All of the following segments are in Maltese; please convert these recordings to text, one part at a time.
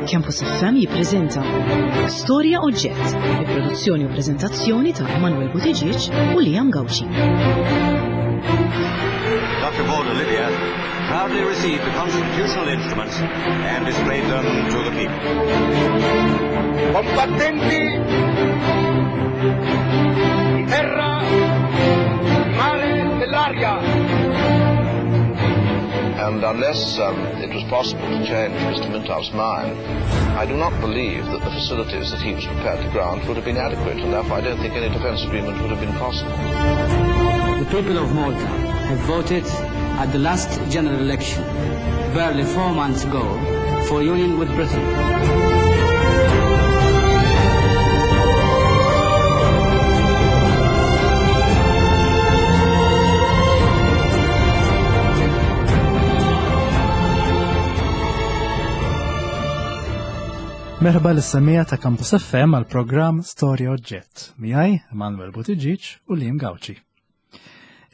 Campus FM jippreżenta Storja Oġġett, bi produzzjoni u preżentazzjoni ta' Emanuel Buttigieg u Liam Gauci. Dr. Paul Olivia proudly received the constitutional instruments and displayed them to the people. Combattenti di terra, di mare, dell'aria. And unless um, it was possible to change Mr. Mintoff's mind, I do not believe that the facilities that he was prepared to grant would have been adequate, and therefore I don't think any defence agreement would have been possible. The people of Malta have voted at the last general election, barely four months ago, for union with Britain. Merħba l-semija ta' Campus FM għal programm Storja Oġġett miegħi Emanuel Buttigieg u Liam Gauci.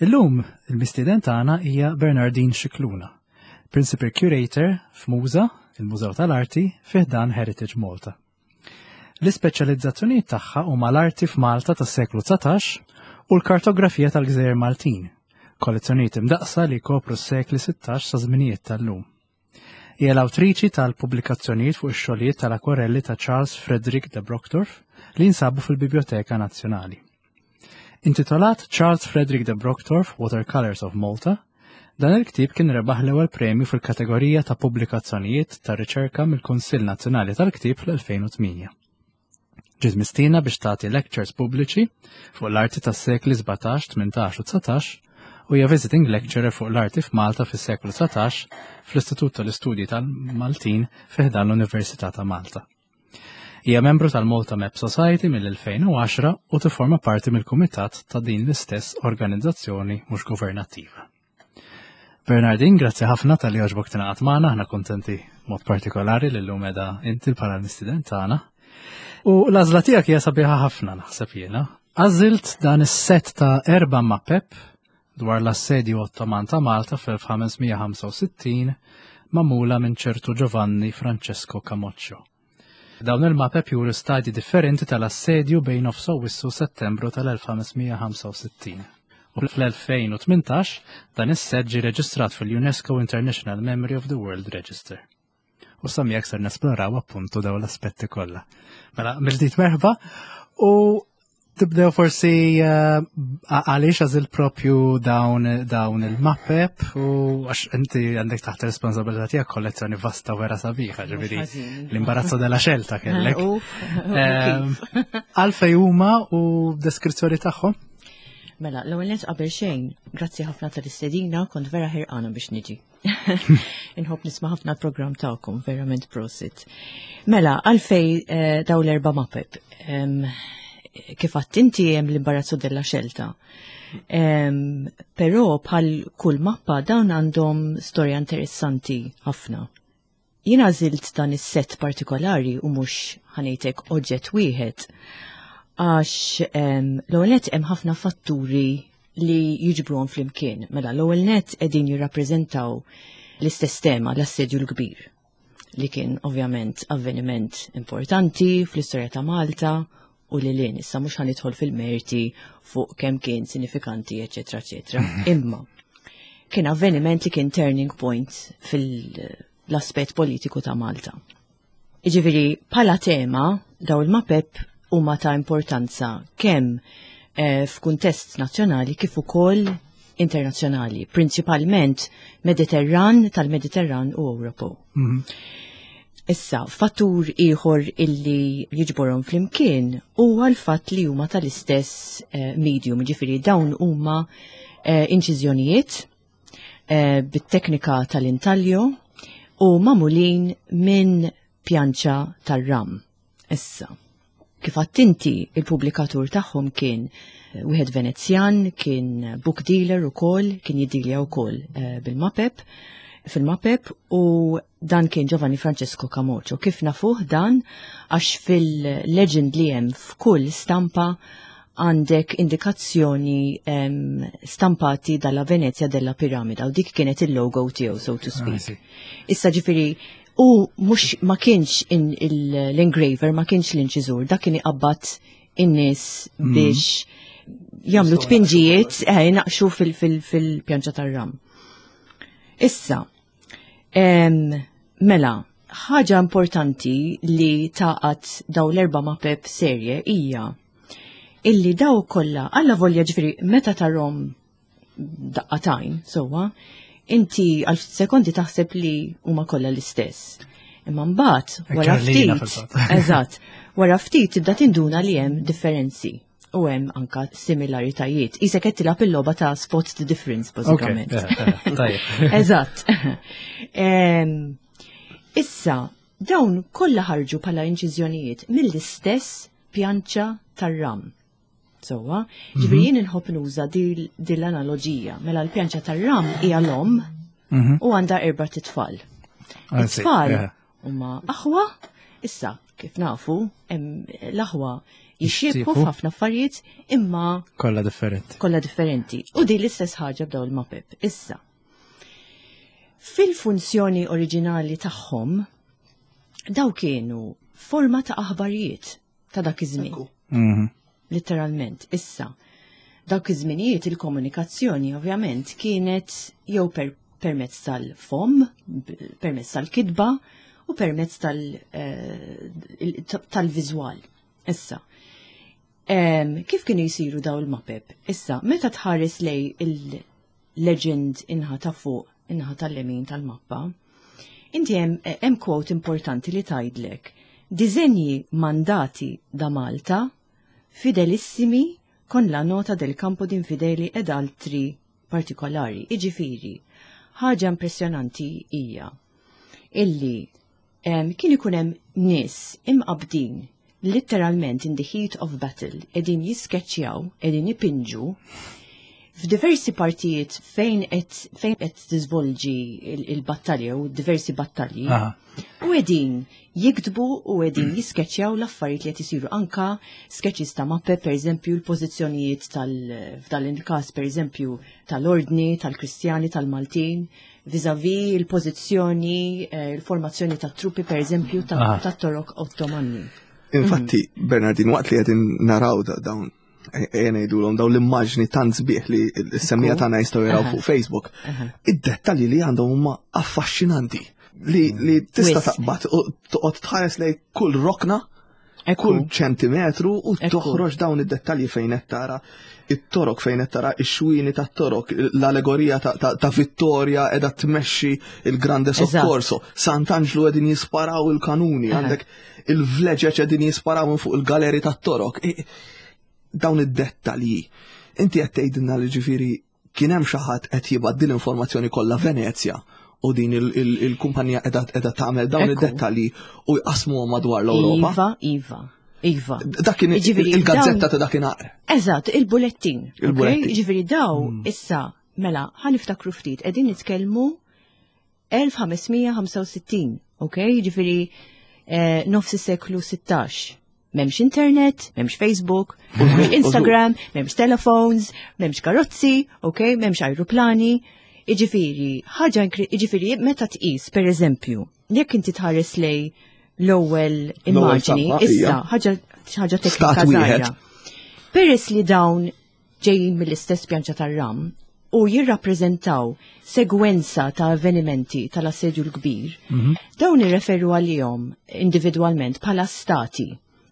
Illum il-mistieden tagħna hija Bernardine Scicluna, Principal Curator f'Muża, il-Mużew tal-Arti, fi ħdan Heritage Malta. L-ispeċjalizzazzjonijiet tagħha huma l-arti f'Malta tas-seklu 19 u l-kartografija tal-Gżejjer Maltin, kollezzjonijiet imdaqqsa li jkopru s-sekli 16 sa żminijiet tal-lum. Hija l-awtriċi tal-pubblikazzjonijiet fuq ix-xogħlijiet tal-akwarelli ta' Charles Frederick de Brockdorff li jinsabu fil-Bibljoteka Nazzjonali. Intitolat Charles Frederick de Brockdorff Watercolors of Malta, dan il-ktieb kien rebaħ l-ewwel premju fil-kategorija ta' pubblikazzjonijiet ta' riċerka mill-Kunsill Nazzjonali tal-Ktieb fl-2008. Ġiet mistiedna biex tagħti lectures pubbliċi fuq l-arti tas-sekli 17, 18 u 19 u hija visiting lecturer fuq l-arti f'Malta fis-seklu 19 fl-Istitut tal-Istudji tal-Maltin fi ħdan l-Università ta' Malta. Hija membru tal-Malta Map Society mill-2010 u tifforma parti mill-kumitat ta' din l-istess organizzazzjoni mhux governattiva. Bernardin, grazzi ħafna tal-li għoġbok tingħaqad magħna, aħna kuntenti mod partikolari li llum qiegħda inti bħala l-mistiden tagħna. U l-għażla tiegħek hija sabiħa ħafna naħseb jiena. Għażilt dan is-set ta' erba' mapep dwar l-assedju Ottoman ta' Malta fl-1565 magħmula minn ċertu Giovanni Francesco Camoccio. Dawn il-mapep juru stadji differenti tal-assedju bejn nofs Awwissu u Settembru tal-1565. U fl-2018 dan is-set ġie reġistrat fil-UNESCO International Memory of the World Register. U sa miegħek ser nesploraw appuntu dawn l-aspetti kollha. Mela, mill-ġdid merħba u Tibdew forsi eh, għaliex għażil propju dawn dawn il-mappep u għax inti għandek taħt responsabilità tiegħek kollezzjoni vasta vera sabiħa, ġifieri l-imbarazzo della xelta kellek. Ehm, għalfej huma u deskrizzjoni tagħhom? Mela, l-ewwel nett qabel xejn, grazzi ħafna tal-istedina, kont vera ħirqana biex niġi. Inħobb nisma' ħafna l-programm tagħkom, verament prosit. Mela, għalfej eh, daw l-erba' mapep. Kif għadt inti hemm l-imbarazzu della xelta. Però bħal kull mappa dawn għandhom storja interessanti ħafna. Jien għażilt dan is-set partikolari u mhux ħanejtek oġġett wieħed għax l-ewwel nett hemm ħafna fatturi li jiġbruhom flimkien. Mela l-ewwel nett qegħdin jirrappreżentaw l-istess tema, l-assedju l-kbir li kien ovvjament avveniment importanti fl-istorja ta' Malta u li lin. Issa mhux ħanidħol fil-merti fuq kemm kien sinifikanti, eċetera, eċetera. Imma kien avveniment li kien turning point fil-aspett politiku ta' Malta. Iġifieri bħala tema daw il-mapep huma ta' importanza kemm eh, f'kuntest nazzjonali kif ukoll internazzjonali, prinċipalment Mediterran tal-Mediterran u Ewropew. Mm -hmm. Issa, fattur ieħor illi jiġborhom flimkien huwa l-fatt li huma tal-istess eh, medium, ġifieri dawn huma eh, inċiżjonijiet eh, bit-teknika tal-intaglio u magħmulin minn pjanċa tar-ram. Issa, kif għadt inti, il-pubblikatur tagħhom kien eh, wieħed Venezjan, kien book dealer ukoll, kien jiddilja wkoll eh, bil-mapep, fil-mapep u dan kien Giovanni Francesco Camocio. Kif nafuh dan għax fil-legend li hemm f'kull stampa għandek indikazzjoni stampati dalla Venezia della Piramida u dik kienet il-logo tiegħu so to speak. Ah, Issa ġifieri U mhux ma kienx l-engraver, ma kienx l-inċiżur, dak kien iqabbad in-nies biex jagħmlu tpinġijiet, eh, naqxu fil-pjanċa tar-ram. Issa, mela, ħaġa importanti li taqat daw l-erba' mapep serje hija illi daw kollha alla volja ġifieri meta tarhom daqqatajn, sowa, inti għal sekondi taħseb li huma kollha l-istess. Imma mbagħad wara ftit, eżatt, wara ftit tibda tinduna li hemm differenzi u hemm anka similaritajiet. Isek qed tilgħab il-logħba ta' spot the difference bażikament. Eżatt. Issa, dawn kollha ħarġu bħala inċiżjonijiet mill-istess pjanċa tar-ram. Sowa, ġifieri jien inħobb nuża din l-analoġija. Mela l-pjanċa tar-ram hija l-om u għandha erba' titfal. It-tfal huma aħwa, issa kif nafu, l-aħwa jixxiebħu f'ħafna affarijiet imma kollha differenti. Kollha differenti. U din l-istess ħaġa b'daw il-mapep. Issa, fil-funzjoni oriġinali tagħhom daw kienu forma ta' aħbarijiet ta' dak iż-żmien. Letteralment, issa. Dak iż-żminijiet il-komunikazzjoni ovvjament kienet jew per permezz tal-fom, permezz tal-kitba u permezz eh, tal-viżwal. Issa, kif kienu jisiru daw il-mapep? Issa, meta tħares lej il-legend inħa ta' fuq, inħa tal-lemin tal-mappa, inti hemm quote importanti li tgħidlek. Disenji mandati da Malta, fidelissimi con la nota del campo d'infideli ed altri partikolari. Iġifiri, ħaġa impressjonanti hija illi kien ikun hemm nies imqabdin literalment in the heat of battle qegħdin jiskeċċjaw, qegħdin ipinġu f'diversi partijiet fejn qed fejn qed tiżvolġi il-battalja u diversi battalji. U qegħdin jiktbu u qegħdin jiskeċċjaw l-affarijiet li qed isiru anka sketches ta' mappe, pereżempju l-pożizzjonijiet tal f'dan il-każ pereżempju tal-ordni, tal-Kristjani, tal-Maltin, vis-a-vis il-pożizzjoni, eh, il-formazzjoni ta' truppi pereżempju ta' Torok Ottomani. Infatti, mhm. Bernardin, waqt li qegħdin naraw dawn ejja ngħidulhom dawn l-immaġni tant sbieħ li s-semmija tagħna jistgħu jaraw fuq Facebook. Id-dettalji li għandhom huma affaxxinanti li, li tista' taqbad u toqgħod tħares lej kull rokna kull ċentimetru u toħroġ dawn id-dettalji fejn qed tara it-torok fejn qed tara ix-xwini tat-torok, l-allegorija ta' Vittoria qiegħda tmexxi il-Grande Soccorso, Sant'Anġlu qegħdin jisparaw il-kanuni, għandek il-vleġeġ qegħdin jisparaw minn fuq il-galeri tat-torok. Dawn id-dettalji. Inti qed tgħidilna li ġifieri kien hemm xi ħadd qed jibgħat din l-informazzjoni kollha Venezja u din il-kumpanija qiegħda tagħmel dawn id-dettalji u jqasmuhom madwar l-Ewropa. Iva, iva. Iva. Dak kien il-gazzetta ta' dakinhar. Eżatt, il-bulettin. Il-bulettin. Ġifieri daw hmm. issa mela ħaniftakru ftit qegħdin nitkellmu 1565, ok? Ġifieri eh, nofs is-seklu 16. Memx internet, memx Facebook, memx Instagram, memx telephones, memx karozzi, ok? Memx aeroplani. Iġifiri, ħaġa iġifiri, meta tqis, per eżempju, jekk inti tħares lej l-ewwel immaġni, issa ħaġa ħaġa teknika żgħira. Peress li dawn ġejjin mill-istess pjanċa tar-ram u jirrappreżentaw segwenza ta' avvenimenti tal-Assedju l-Kbir, mhm. dawn irreferu għalihom individwalment bħala stati.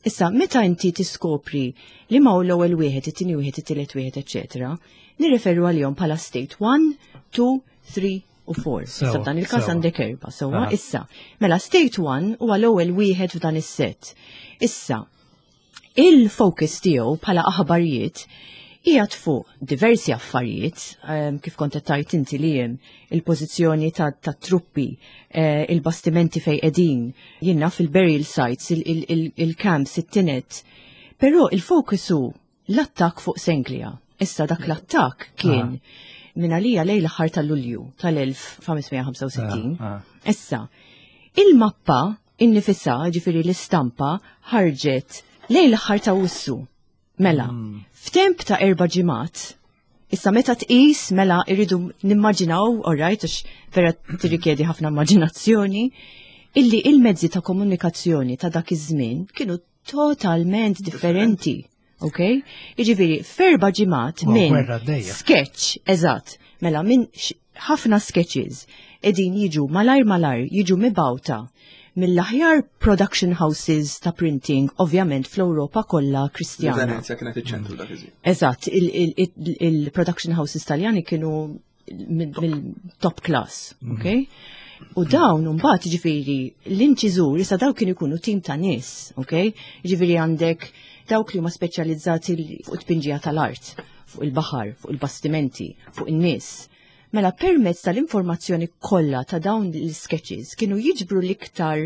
Issa, meta inti tiskopri li ma l-ewwel wieħed, it-tieni wieħed, it-tielet wieħed, eċetera, nirreferu għalihom bħala state 1, 2, 3 u 4. Issa f'dan il-każ għandek erba' sewwa. Issa, mela state 1 huwa l-ewwel wieħed f'dan is-set. Issa, Il-focus tiegħu bħala aħbarijiet qiegħed fuq diversi affarijiet, ehm, kif kont qed tgħid inti li hemm il-pożizzjoni tat-truppi, eh, il-bastimenti fejn qegħdin, jiena fil-burial sites, il-camps, it-tinet. Però il-focus hu l-attakk fuq Senglia. Issa dak l-attakk kien ah. minn għalija lejn l-aħħar tal-Lulju tal-1565. Ah, ah. Issa, il-mappa innifisha, ġifieri l-istampa, ħarġet lejn l-aħħar ta' Awwissu. Mela, mm. f'temp ta' erba' ġimgħat, issa meta tqis mela irridu nimmaġinaw, all right, għax vera tirrikjedi ħafna immaġinazzjoni, Illi il-mezzi ta' komunikazzjoni ta' dak iż-żmien kienu totalment differenti. Ok? Jiġifieri f'erba' ġimgħat minn sketch, eżatt, mela minn ħafna sketches qegħdin jiġu malajr malajr jiġu mibgħuta mill-aħjar production houses ta' printing, ovvjament fl-Ewropa kollha Kristjana. Venezia kienet iċ-ċentru dak iż-żmien. Eżatt, il-production houses Taljani kienu mill-top class, mhm. ok? U dawn mbagħad ġifieri l-inċiżur issa dawn kienu jkunu tim ta' nies, ok? Ġifieri għandek dawk li huma speċjalizzati fuq it-tpinġija tal-art, fuq il-baħar, fuq il-bastimenti, fuq in-nies. Mela permezz tal-informazzjoni kollha ta' dawn l-sketches kienu jiġbru l-iktar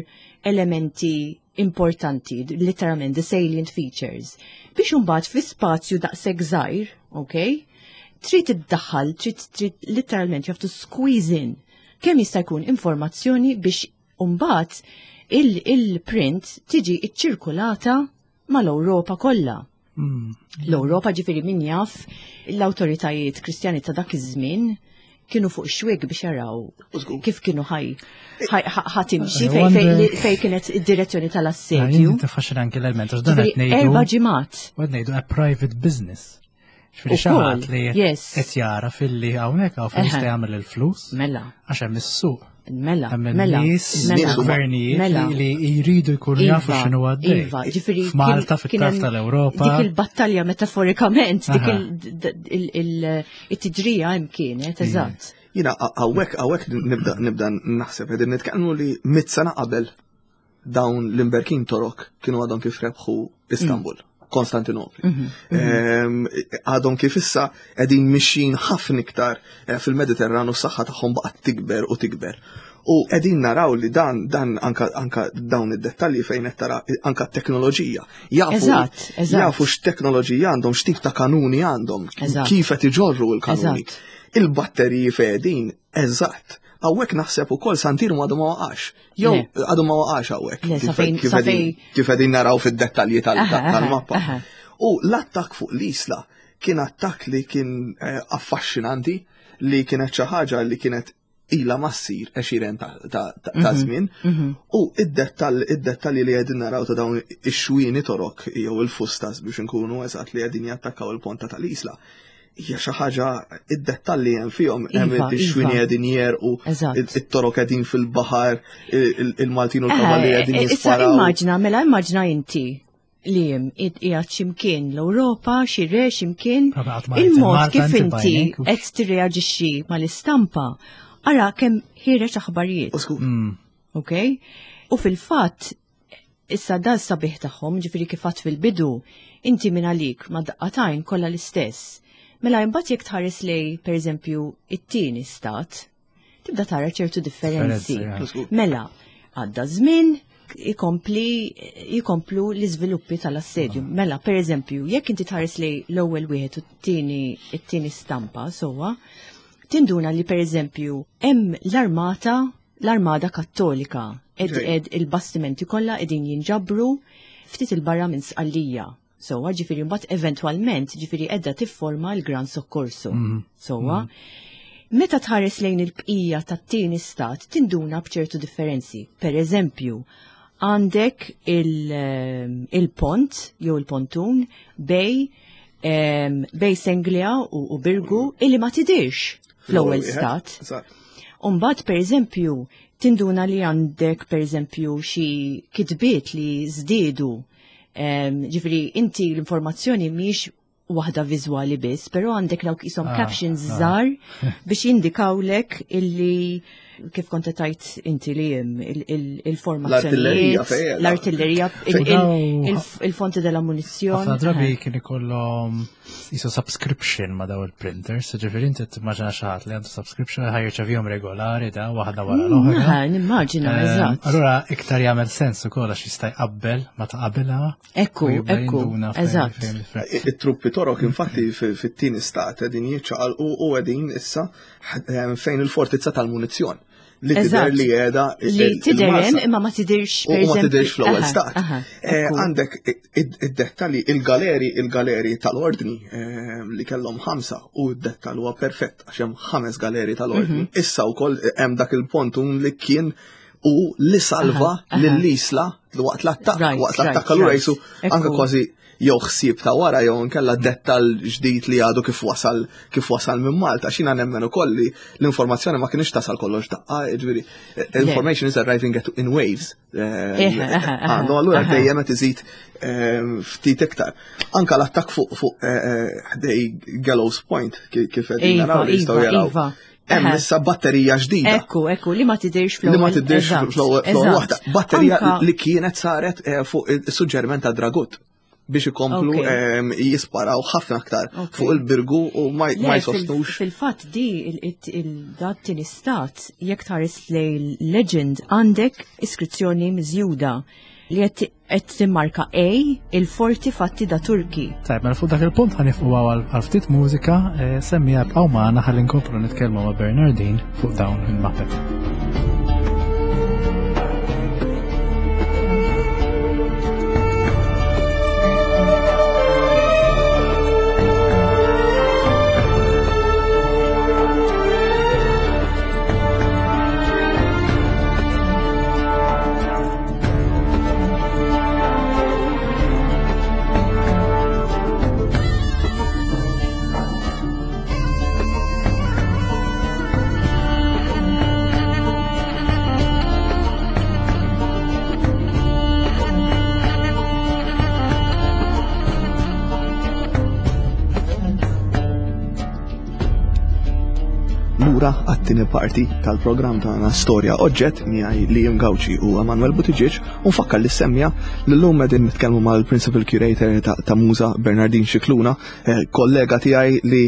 elementi importanti, literalment the salient features, biex imbagħad fi spazju daqshekk żgħir, ok? Trid iddaħħal, trid trid literalment you have to squeeze in kemm jista' jkun informazzjoni biex imbagħad il-print tiġi iċċirkulata mal-Ewropa kollha. L-Ewropa ġifieri min jaf l-awtoritajiet Kristjani ta' dak iż-żmien kienu fuq xwig biex jaraw kif kienu ħaj ħatimxi fej kienet id-direzzjoni tal-assedju. Tiffaxxina anke l-element għax dan qed ngħidu. Erba' ġimgħat. U qed ngħidu a private business. Ġifieri xi ħadd li qed jara filli hawnhekk hawn fejn jista' jagħmel il-flus. Mela. Għax hemm is-suq. Mela, mela, nies, gvernijiet mela. li jridu jkunu iva, jafu x'inhu għaddej. Iva, ġifieri F'Malta fit-tarf tal-Ewropa. Dik il-battalja metaforikament, dik it-tiġrija hemm kienet, eżatt. Jiena hawnhekk hawnhekk nibda nibda naħseb qegħdin nitkellmu li mit sena qabel dawn l-imberkin torok kienu għadhom kif rebħu Istanbul. Mm. Konstantinopli. Mhm, mhm. Ehm, għadhom kif issa qegħdin mixjin ħafna iktar eh, fil-Mediterranu s-saħħa tagħhom baqgħet tikber u tikber. U qegħdin naraw li dan dan anka, anka dawn id-dettalji fejn qed tara anka t-teknoloġija. Jafu jafu x'teknoloġija għandhom, x'tip ta' kanuni għandhom, kif qed iġorru l-kanuni. Il-batteriji fejn eżatt. Hawnhekk naħseb ukoll Santirmu għadu ma waqax. Jew għadu ma waqax hawnhekk. Kif qegħdin naraw fid-dettalji tal-mappa. U l-attakk fuq l-isla kien attakk li kien eh, affaxxinanti li kienet xi ħaġa li kienet ila ma ssir għexieren ta' mhm, żmien. Mhm. U id-dettalji li qegħdin naraw ta' dawn ix-xwieni torok jew il-fustas biex inkunu eżatt li qegħdin jattakkaw il-ponta tal-isla hija xi ħaġa id-dettalji hemm fihom hemm iva, ix-xwini iva. qegħdin jerqu, it-torok qegħdin fil-baħar, il-Maltin u l-kavalli eh, qegħdin eh, jisparaw. Issa immaġna, mela immaġna inti li jem qiegħed x'imkien l-Ewropa, xi re x'imkien, il-mod kif inti qed tirreaġixxi mal-istampa, ara kemm ħireġ aħbarijiet. Mm. Ok? U fil-fatt Issa da s-sabiħ tagħhom, ġifieri kif għadt fil-bidu, inti minn għalik ma' daqqa t'għajn kollha l-istess. Mela imbagħad jekk tħares lej, pereżempju, it-tieni stat, tibda tara ċertu differenzi. Mela, għadda żmien, ikompli jkomplu l-iżviluppi tal-assedju. Ah. Mela, per eżempju, jekk inti tħares lej l-ewwel wieħed u t-tieni it-tieni stampa sewwa, tinduna li per eżempju hemm l-armata L-Armada Kattolika ed ed il-bastimenti kollha qegħdin jinġabru ftit il-barra minn Sqallija. Sewwa, ġifieri mbagħad eventwalment ġifieri qiegħda tifforma l-Gran Soccorso. Mhm. Sewwa. Mhm. Meta tħares lejn il-bqija tat-tieni stat tinduna b'ċertu differenzi. Per eżempju, għandek ehm, il-pont jew il-pontun bej ehm, bej Senglia u Birgu illi ma tidirx fl-ewwel stat. Umbagħad pereżempju tinduna li għandek pereżempju xi kitbiet li żdiedu. Ġifieri inti l-informazzjoni mhix waħda viżwali biss, però għandek dawk isom ah, captions ah. żgħar biex jindikawlek illi kif kont tajt inti li il-formazzjoni. L-artillerija, il-fonti della munizzjon. Ħafna drabi kien ikollhom jisu subscription ma daw il-printers, ġifiri inti timmaġina xi ħadd li għandu subscription ħaj jirċevihom regolari da waħda wara mm, l-oħra. Nimmaġina, ehm, eżatt. Allura iktar jagħmel sens ukoll għax jista' jqabbel ma ta' qabilha. Ekku, ekku, eżatt. It-truppi torok infatti fit-tieni stat qegħdin jiċċaqalqu u qegħdin issa ehm, fejn il-fortizza tal-munizzjon li tidher li qiegħda li tidher hemm imma ma tidirx u ma tidirx fl-ewwel stat. Eh, għandek id-dettalji il-galeri il-galeri tal-ordni eh, li kellhom ħamsa u d-dettall huwa perfett għax hemm ħames galeri tal-ordni. Mhm. Issa wkoll hemm dak il-pontun li kien u li salva lill-Isla waqt l-attakk, waqt l-attakk allura jisu anke kważi jew ħsieb ta' wara jew inkella dettal ġdid li għadu kif wasal kif wasal minn Malta. Xina nemmen ukoll li l-informazzjoni ma kienx tasal kollox daqqa, ġifieri information is arriving at in waves. Eh, għandu allura dejjem qed iżid eh, ftit iktar. Anka l-attakk fuq fuq eh, ħdej Gallows Point kif qed iva, naraw li jistgħu iva, jaraw. Iva. Hemm issa batterija ġdida. Ekku, ekku, li ma tidirx fl-ewwel. Li ma tidirx fl-ewwel waħda. Batterija li kienet saret eh, fuq is-suġġeriment ta' Dragut biex ikomplu ehm, jisparaw ħafna aktar fuq il-birgu u ma jsostnux. Fil-fatt di il-dat tieni stat jekk tħares lej legend għandek iskrizzjoni miżjuda li qed Qed timmarka A il-forti fatti da Turki. Tajb, mela fuq dak il-punt ħanifqu għal ftit mużika, eh, semmija bqgħu magħna ħalli nkomplu nitkellmu ma' Bernardin fuq dawn il-mapep. Lura għat-tieni parti tal-programm tagħna Storja Oġġett miegħi Liam Gauci u Emanuel Buttigieg u nfakkar li semmija li llum qegħdin nitkellmu mal-Principal Curator ta' Muża Bernardin Scicluna, eh, kollega tiegħi li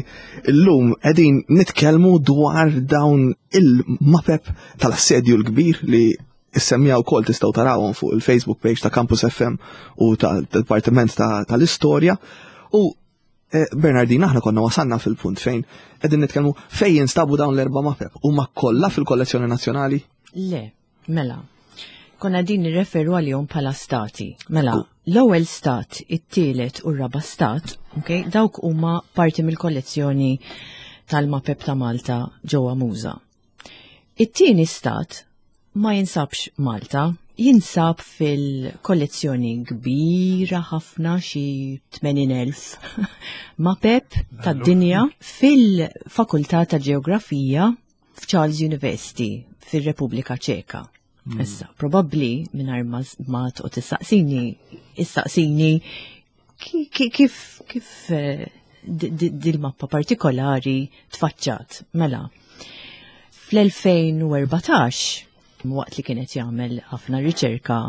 llum qegħdin nitkellmu dwar dawn il-mapep tal-assedju l-kbir li Is-semmija wkoll tistgħu tarawhom fuq il-Facebook page ta' Campus FM u tal-Dipartiment tal-Istorja. U eh, Bernardina, aħna konna wasanna fil-punt fejn qegħdin nitkellmu fejn jinstabu dawn l-erba' mapep. Huma kollha fil-kollezzjoni nazzjonali? Le, mela. Konna din nirreferu għalihom bħala stati. Mela, l-ewwel stat, it-tielet u r-raba stat, okay, dawk huma parti mill-kollezzjoni tal-mapep ta' Malta ġewwa Muża. It-tieni stat ma jinsabx Malta, jinsab fil-kollezzjoni kbira ħafna xi 80,000 mapep tad-dinja fil-Fakultà ta' Ġeografija f'Charles University fir-Repubblika Ċeka. Hmm. Issa, probabbli mingħajr ma toqgħod tistaqsini, issaqsini kif kif eh, dil-mappa partikolari tfaċċat. Mela, fl-2014, waqt li kienet jagħmel ħafna riċerka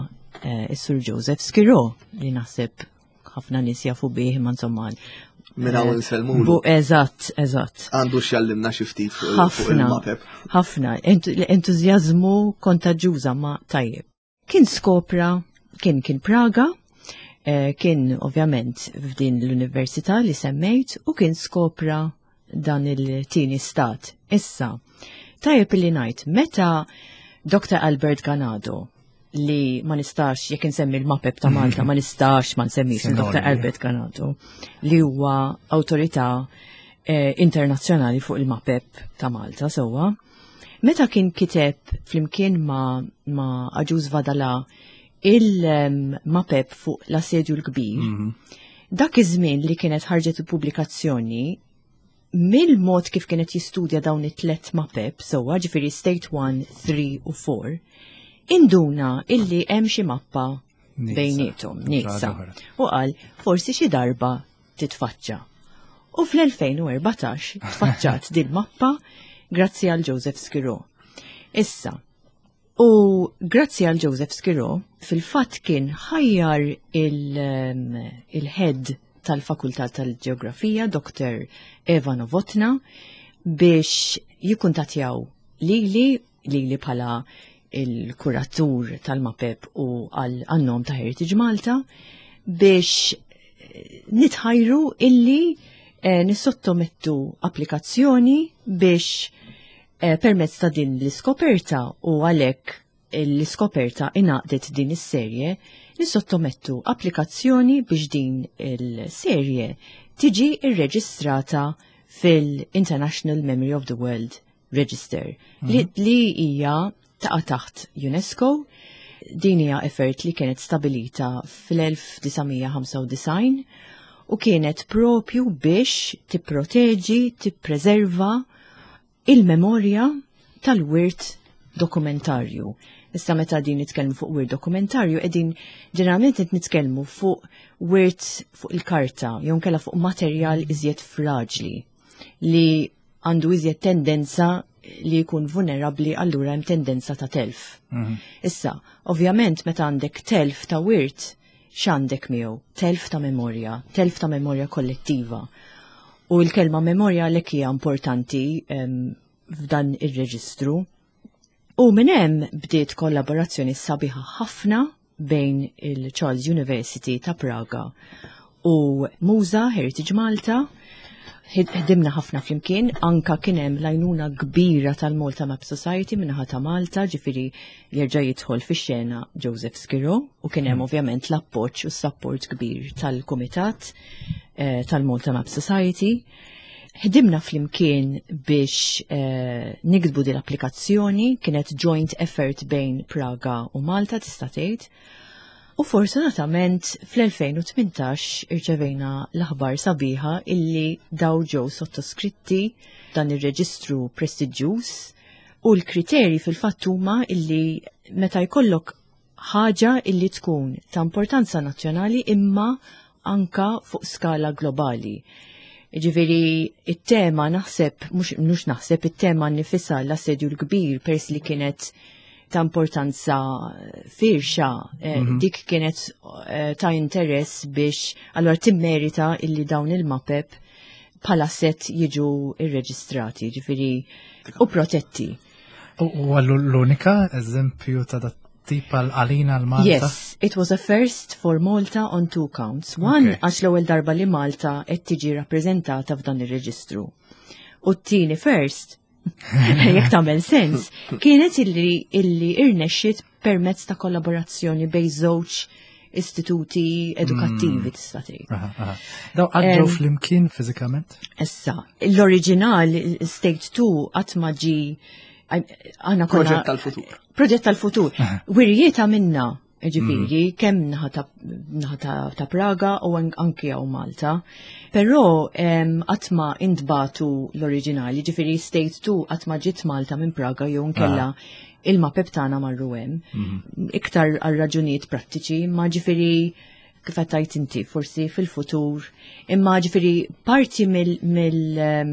eh, is-Sur Joseph Skiro li naħseb ħafna nies jafu bih ma insomma Minn hawn eh, insellmulu. Eżatt, eżatt. Għandu x'jallimna xi ftit fuq il-mapep. Ħafna, entużjażmu kontaġġuża ma tajjeb. Kien skopra, kien kien Praga, eh, kien ovvjament f'din l-università li semmejt u kien skopra dan il-tieni stat. Issa, tajjeb li ngħid, meta Dr. Albert Ganado li ma nistax, jekk insemmi l-mapep ta' Malta, ma nistax ma nsemmix Dr. Albert Ganado, li huwa awtorità eh, internazzjonali fuq il-mapep ta' Malta sewwa. Meta kien kiteb flimkien ma, ma Aġuż Vadala il-mapep fuq l-assedju l-kbir, mm -hmm. dak iż-żmien li kienet ħarġet il-pubblikazzjoni, mill-mod kif kienet jistudja dawn it-tlet mapep, sewwa ġifieri State 1, 3 u 4, induna illi hemm xi mappa bejnietom, nieqsa. U qal forsi xi darba titfaċċa. U fl-2014 tfaċċat din mappa grazzi għal Joseph Skiro. Issa, u grazzi għal Joseph Skiro, fil-fatt kien ħajjar ehm, il-head tal-Fakultà tal-Ġeografija, Dr. Eva Novotna, biex jikkuntatjaw lili lili bħala il-kuratur tal-mapep u għal-nom ta' Heritage Malta biex eh, nitħajru illi eh, nissottomettu applikazzjoni biex eh, permezz ta' din l-iskoperta u għalhekk l-iskoperta inaqdet din is-serje, nissottomettu applikazzjoni biex din il-serje tiġi irreġistrata fil-International Memory of the World Register li, mhm. li hija Taqa' taħt UNESCO. Din hija effort li kienet stabilita fl-1995 u kienet propju biex tipproteġi, tippreserva il-memorja tal-wirt dokumentarju. Issa meta din nitkellmu fuq wirt dokumentarju, qegħdin ġeneralment qed nitkellmu fuq wirt fuq il-karta jew nkella fuq materjal iżjed fraġli li għandu iżjed tendenza li jkun vulnerabbli allura hemm tendenza ta' telf. Issa, ovvjament meta għandek telf ta' wirt, x'għandek miegħu? Telf ta' memorja, telf ta' memorja kollettiva. U l-kelma memorja għalhekk hija importanti f'dan ir-reġistru. U minn hemm bdiet kollaborazzjoni sabiħa ħafna bejn il-Charles University ta' Praga u Muża Heritage Malta. Ħdimna ħafna flimkien, anka kien hemm l-għajnuna kbira tal-Malta Map Society minnaħa ta' Malta, ġifieri jerġa' jidħol fix-xena Joseph Schirru u kien hemm ovvjament l-appoġġ u s-support kbir tal-Kumitat tal-Malta Map Society. Ħdimna flimkien biex niktbu din l-applikazzjoni, kienet joint effort bejn Praga u Malta tista' tgħid. U fortunatament fl-2018 irċevejna l-aħbar sabiħa illi daw ġew sottoskritti dan ir-reġistru prestiġjuż u l-kriterji fil-fatt huma illi meta jkollok ħaġa illi tkun ta' importanza nazzjonali imma anka fuq skala globali. Ġifieri, it-tema naħseb, mhux naħseb, it-tema nifisha l-assedju l-kbir pers li kienet ta' importanza firxa, dik kienet ta' interess biex allora timmerita illi dawn il-mapep bħala set jiġu irreġistrati, ġifieri, u protetti. U għallu l-unika eżempju ta' dat tip għal-għalina l-Malta? Yes, it was a first for Malta on two counts. One, għax l-ewwel darba li Malta qed tiġi rappreżentata f'dan ir-reġistru. U t-tieni first, jekk tagħmel sens, kienet illi irnexxiet permezz ta' kollaborazzjoni bejn żewġ istituti edukattivi tista' tgħid. Daw għaddew flimkien fiżikament? Issa, l-oriġinal State 2 qatt ma ġi għandna konna Proġett tal-futur. Proġett tal-futur. Wirjiet minna, ġifieri, kemm naħa ta' Praga u anki hawn Malta. Però qatt ma intbatu l-oriġinali, ġifieri State 2 qatt ma ġiet Malta minn Praga jew nkella il-mapep tagħna marru hemm. Iktar għal raġunijiet prattiċi, ma ġifieri kif qed tgħid inti, forsi fil-futur. Imma ġifieri parti mill, mill, em,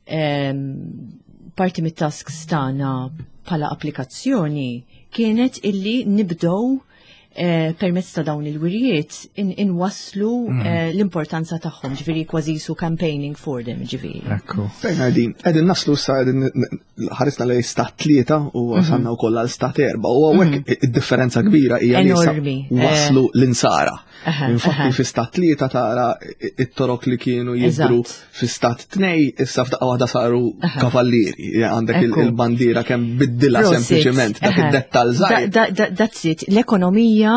em, parti mit-tasks tagħna bħala applikazzjoni kienet illi nibdew permezz ta' dawn il-wirjiet inwasslu l-importanza tagħhom, ġifieri kważi su campaigning for them, ġifieri. Ekku. Bernardine, qegħdin naslu sa qegħdin ħarisna lejn stat 3 u wasalna wkoll għal stat 4 u hawnhekk id-differenza kbira hija li issa waslu l-insara. Infatti fi stat 3 tara it-torok li kienu jidhru fi stat 2 issa f'daqqa waħda saru kavallieri. Għandek il-bandiera kemm biddilha sempliċement dak id-dettall żgħir. That's it. L-ekonomija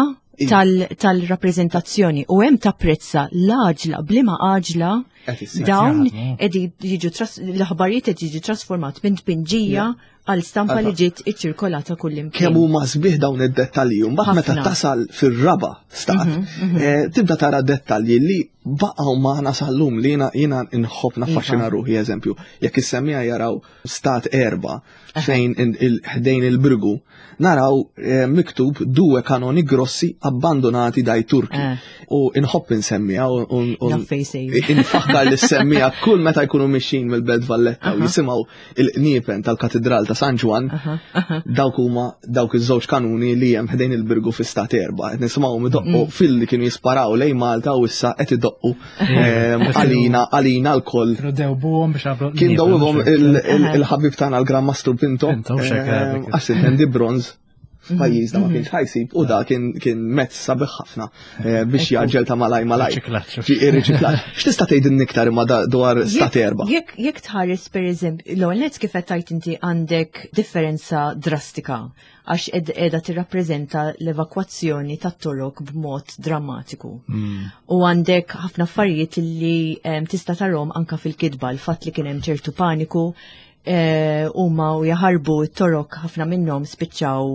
tal-rappreżentazzjoni u hemm tapprezza l-għaġla, bliema għaġla Qed issir. dawn Jaħdmu. qegħdin jiġu l-aħbarijiet qed jiġu trasformat minn tpinġija għal stampa li ġiet iċċirkolata kull imkien. Kemm huma sbieħ dawn id-dettalji, u mbagħad meta Ħafna. tasal fir-raba stat, tibda tara dettalji li baqgħu magħna sal-lum li jiena nħobb naffaxxina ruħi, eżempju, jekk is-semmiegħa jaraw stat 4 fejn ħdejn il-Birgu, naraw miktub due kanoni grossi abbandonati dai Turki. U inħobb insemmiha u Naf fejn sejjer. infakkar li semmiha kull meta jkunu mixin mill-Belt Valletta u jisimgħu il-qniepen tal-Katedral ta' San Ġwann, dawk huma dawk iż-żewġ kanuni li hemm ħdejn il-Birgu fi stat 4. Qed nisimgħuhom idoqqu fil-li kienu jisparaw lejn Malta u issa qed idoqqu, għalina l-koll. Kienu dewbuhom biex għabru Kien l-qniepen, dewbuhom mhux hekk? il-ħabib tagħna l-Gran Mastru Pinto, Pinto, mhux hekk, dik. għax intendi bronz f'pajjiżna ma kienx ħajsib u da kien mezz sabiħ ħafna biex jaġġel ta' malaj malaj. Riċiklaġġ. Ġi ir-riċiklaġġ. X'tista' tgħidilni iktar imma dwar stat 4? Jekk tħares pereżempju, l-ewwel nett kif qed tgħid inti għandek differenza drastika għax qiegħda tirrappreżenta l-evakwazzjoni tat-Torok b'mod drammatiku. U għandek ħafna affarijiet li tista' tarhom anka fil-kitba, l-fatt li kien hemm ċertu paniku. eh, huma u jaħarbu t-torok ħafna minnhom spiċċaw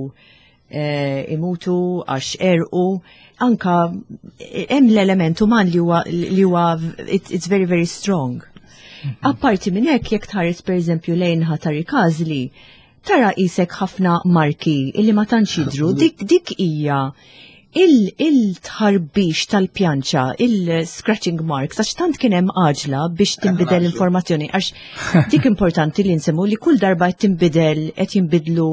eh, imutu għax erqu anka eh, hemm l-element uman li huwa li huwa it's very very strong. Mhm. Apparti minn hekk jekk tħares pereżempju lejn ħatari każli, tara isek ħafna marki illi ma tantx jidhru, dik dik hija il-tħarbix tal-pjanċa, il-scratching marks, għax tant kien hemm għaġla biex tinbidel l-informazzjoni, għax dik importanti li nsemmu li kull darba qed tinbidel qed jinbidlu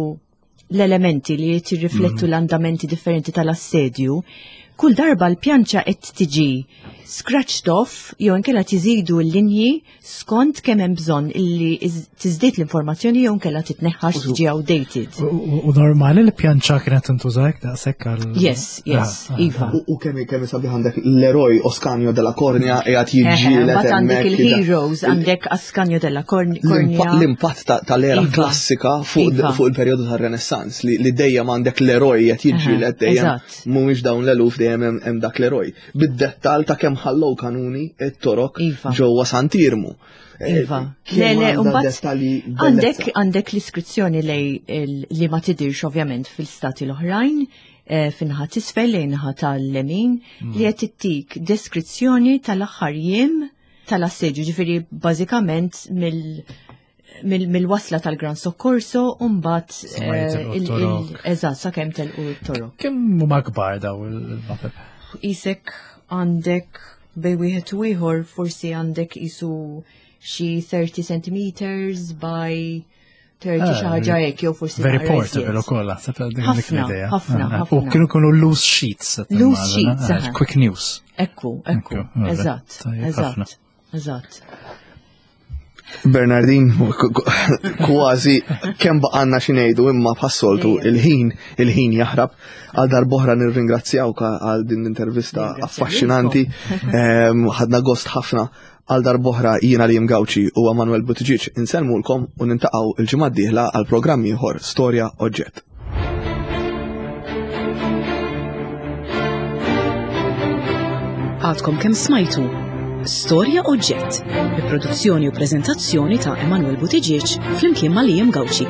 l-elementi li qed jirriflettu mhm. l-andamenti differenti tal-assedju, kull darba l-pjanċa qed tiġi scratched off jew inkella tiżidu l-linji skont kemm hemm bżonn illi tiżdied l-informazzjoni jew nkella titneħħax tiġi outdated. U normali li pjanċa kienet tintuża hekk daqshekk għal Yes, yes, ah, ah. iva. U kemm kemm sabiħ għandek l-eroj Oscanio della Cornia qiegħed jiġġieled Mbagħad għandek il-heroes għandek Ascanio della Cornia. L-impatt tal-era iva. klassika fuq iva. il-perjodu tar-Renaissance li dejjem għandek l-eroj qed jiġġieled dejjem mhumiex dawn l-eluf dejjem hemm dak l-eroj. bid-dettal ta' kemm ħallew kanuni t-torok iva. ġewwa Sant'Irmu. Eh, iva. Le, le, għandek għandek l-iskrizzjoni lej li ma tidirx ovvjament fil-stati l-oħrajn, eh, finħa tisfel lejn naħa tal-lemin, mm. li qed tittik deskrizzjoni tal-aħħar jiem tal-assedju, ġifieri bażikament mill mill-wasla tal-Gran Soccorso u mbagħad eh, eżatt sakemm telqu t-torok. Kemm huma kbar daw il-mapep? Isek għandek bej wieħed u ieħor forsi għandek isu xi 30 centimeters by 30 ah, xi ħaġa hekk jew forsi Very portable ukoll naħseb dik l-idea. Ħafna, ah, ħafna. U kienu kienu loose sheets. Loose sheets. Ah, quick news. Ekku, ekku. Eżatt, eżatt. Eżatt. Bernardin, kważi kemm baqanna xi ngħidu imma bħas-soltu il-ħin il-ħin jaħrab għal darb'oħra nirringrazzjawk għal din l-intervista affaxxinanti. Ehm, ħadna gost ħafna għal darb'oħra jiena li Gawċi u Manuel Buttigieg insellmulkom u nintaqgħu il-ġimgħa d-dieħla għal programm ieħor Storja Oġġett. Għadkom kemm smajtu Storja Oġġett, bi produzzjoni u preżentazzjoni ta' Emanuel Buttigieg flimkien ma' Liam Gauci.